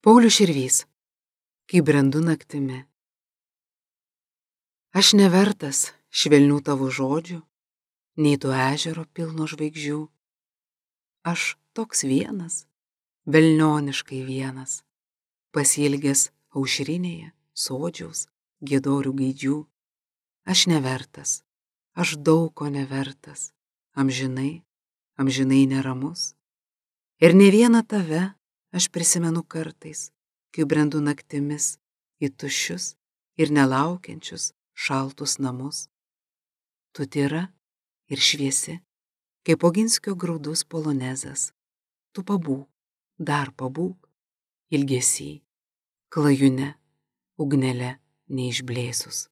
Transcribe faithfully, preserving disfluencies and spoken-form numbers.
Paulius Širvys, kai brendu naktimi. Aš nevertas švelnių tavo žodžių, nei to ežero pilno žvaigždžių. Aš toks vienas, velnioniškai vienas, pasiilgęs aušrinėje, sodžiaus, giedorių gaidžių. Aš nevertas, aš daug ko nevertas, amžinai, amžinai neramus. Ir ne vieną tave aš prisimenu kartais, kai brendu naktimis į tuščius ir nelaukiančius šaltus namus. Tu tyra ir šviesi, kaip Oginskio graudus polonezas. Tu pabūk, dar pabūk, ilgesy, klajune, ugnele neišblėsus.